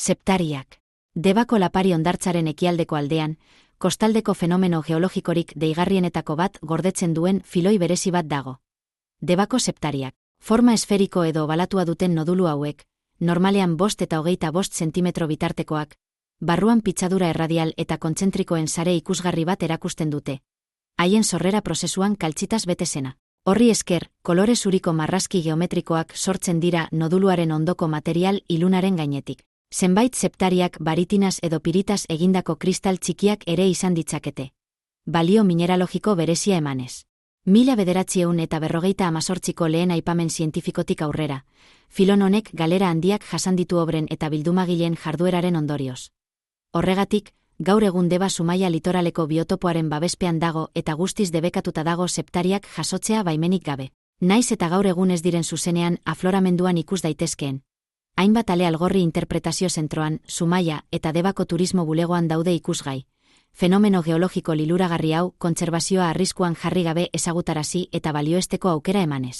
Septariak. Debako lapari hondartzaren ekialdeko aldean, kostaldeko fenomeno geologikorik deigarrienetako bat gordetzen duen filoi berezi bat dago. Debako septariak. Forma esferiko edo balatua duten nodulu hauek, normalean 5 eta 25 zentimetro bitartekoak, barruan pitzadura erradial eta kontzentrikoen sare ikusgarri bat erakusten dute. Haien sorrera prozesuan kaltzitaz bete zena. Horri esker, kolore zuriko marrazki geometrikoak sortzen dira noduluaren ondoko material ilunaren gainetik. Zenbait septariak baritinas edo piritas egindako kristal txikiak ere izan ditzakete. Balio mineralogiko berezia emanez. 1948ko lehen aipamen zientifikotik aurrera, filon honek galera handiak jasan ditu obren eta bildumagileen jardueraren ondorioz. Horregatik, gaur egun Deba Zumaia litoraleko biotopoaren babespean dago eta guztiz debekatuta dago septariak jasotzea baimenik gabe. Naiz eta gaur egun ez diren zuzenean afloramenduan ikus daitezkeen. Hainbat ale algorri interpretazio zentroan, Zumaia eta Debako turismo bulegoan daude ikusgai. Fenomeno geologiko liluragarri hau kontserbazioa arriskuan jarri gabe ezagutarazi eta balioesteko aukera emanez.